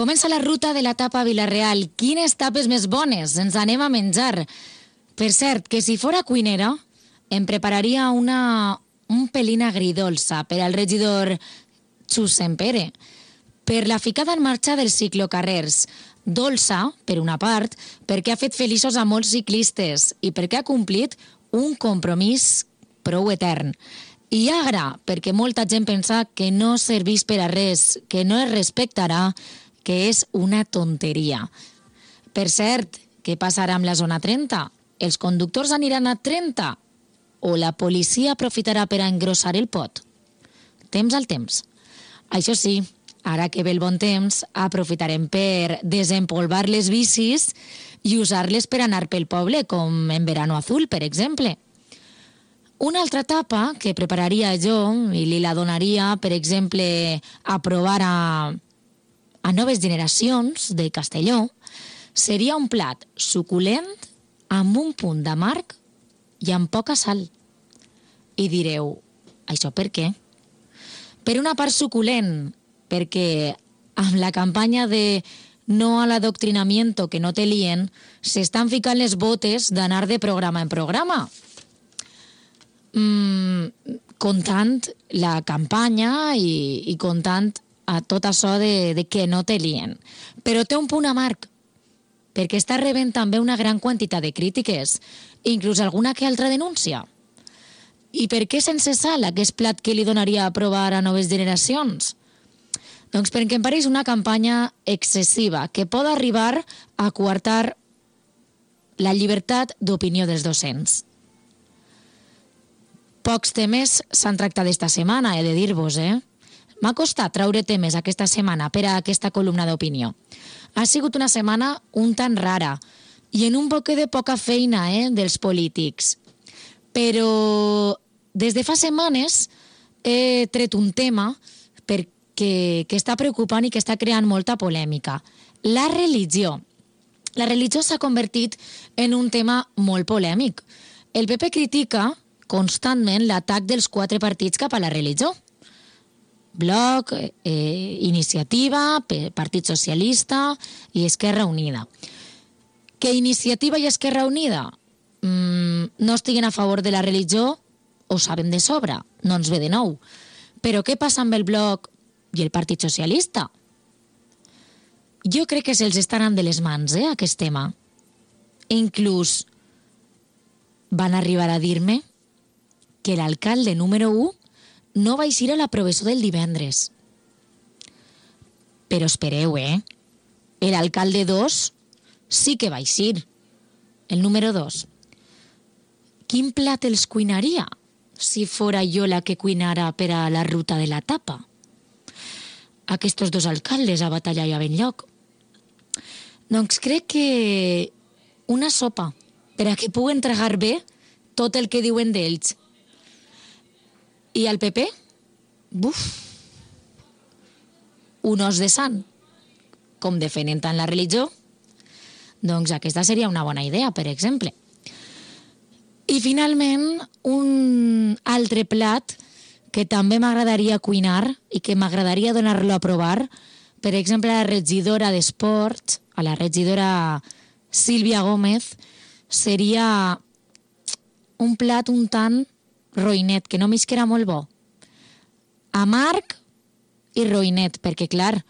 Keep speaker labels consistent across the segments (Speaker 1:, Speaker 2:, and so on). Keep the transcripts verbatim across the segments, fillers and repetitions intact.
Speaker 1: Comença la ruta de la tapa a Vila-real. Quines tapes més bones ens anem a menjar. Per cert, que si fora cuinera, em prepararia una, un pelín agridolça per al regidor Xus Sempere, per la ficada en marxa dels ciclocarrers. Dolça, per una part, perquè ha fet feliços a molts ciclistes i perquè ha complit un compromís prou etern. I agra, perquè molta gent pensa que no serveix per a res, que no es respectarà, que és una tonteria. Per cert, què passarà amb la zona trenta? Els conductors aniran a trenta? O la policia aprofitarà per a engrossar el pot? Temps al temps. Això sí, ara que ve el bon temps, aprofitarem per desempolvar les bicis i usar-les per anar pel poble, com en Verano Azul, per exemple. Una altra etapa que prepararia jo i li la donaria, per exemple, a provar a, a noves generacions de Castelló, seria un plat suculent amb un punt d'amarg i amb poca sal. I direu, això per què? Per una part suculent, perquè amb la campanya de no a l'adoctrinamiento que no te lien, s'estan ficant les botes d'anar de programa en programa. Mm, contant la campanya i, i contant a tot això de, de que no te lien. Però té un punt amarg, perquè està rebent també una gran quantitat de crítiques, inclús alguna que altra denúncia. I per què sense sal aquest plat que li donaria a provar a noves generacions? Doncs perquè em pareix una campanya excessiva que pot arribar a coartar la llibertat d'opinió dels docents. Pocs temes s'han tractat esta setmana, he de dir-vos, eh? M'ha costat traure temes aquesta setmana per a aquesta columna d'opinió. Ha sigut una setmana un tant rara i en un poquet de poca feina, eh, dels polítics. Però des de fa setmanes he tret un tema perquè, que està preocupant i que està creant molta polèmica. La religió. La religió s'ha convertit en un tema molt polèmic. El P P critica constantment l'atac dels quatre partits cap a la religió. Bloc, eh, Iniciativa, Partit Socialista i Esquerra Unida. Que Iniciativa i Esquerra Unida mm, no estiguen a favor de la religió, ho sabem de sobre, no ens ve de nou. Però què passa amb el Bloc i el Partit Socialista? Jo crec que se'ls està anant de les mans, eh, aquest tema. Inclús van arribar a dir-me que l'alcalde número u no va eixir a la professó del divendres. Però espereu, eh? L'alcalde dos sí que va eixir. El número dos. Quin plat els cuinaria si fora jo la que cuinara per a la ruta de la tapa? Aquests dos alcaldes a batallar i a ben lloc. Doncs crec que una sopa per a que puguen tragar bé tot el que diuen d'ells. I al P P? Buf! Un os de sant. Com defenen tant la religió? Doncs aquesta seria una bona idea, per exemple. I finalment, un altre plat que també m'agradaria cuinar i que m'agradaria donar-lo a provar, per exemple, a la regidora d'Esport, a la regidora Sílvia Gómez, seria un plat un tant roïnet, que només que era molt bo. Amarg i roïnet, perquè, clar,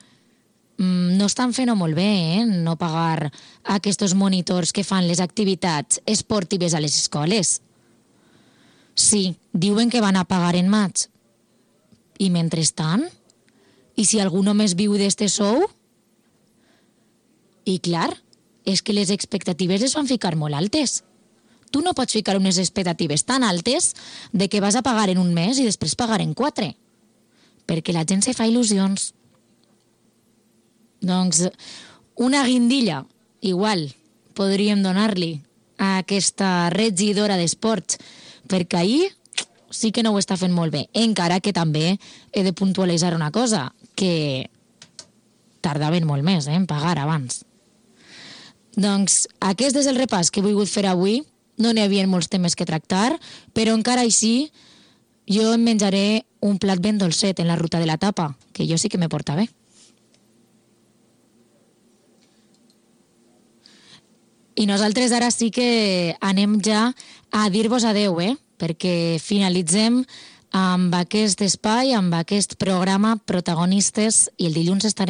Speaker 1: no estan fent-ho molt bé, eh? No pagar aquests monitors que fan les activitats esportives a les escoles. Sí, diuen que van a pagar en maig. I mentrestant? I si algú només viu d'este sou? I clar, és que les expectatives es van ficar molt altes. Tu no pots ficar unes expectatives tan altes de que vas a pagar en un mes i després pagar en quatre. Perquè la gent se fa il·lusions. Doncs una guindilla, igual, podríem donar-li a aquesta regidora d'esports, perquè ahir sí que no ho està fent molt bé. Encara que també he de puntualitzar una cosa, que tardaven molt més eh, en pagar abans. Doncs aquest és el repàs que he volgut fer avui. No n'hi havia molts temes que tractar, però encara així jo em menjaré un plat ben dolcet en la ruta de la tapa, que jo sí que me porta bé. I nosaltres ara sí que anem ja a dir-vos adeu, eh? Perquè finalitzem amb aquest espai, amb aquest programa Protagonistes, i el dilluns estarem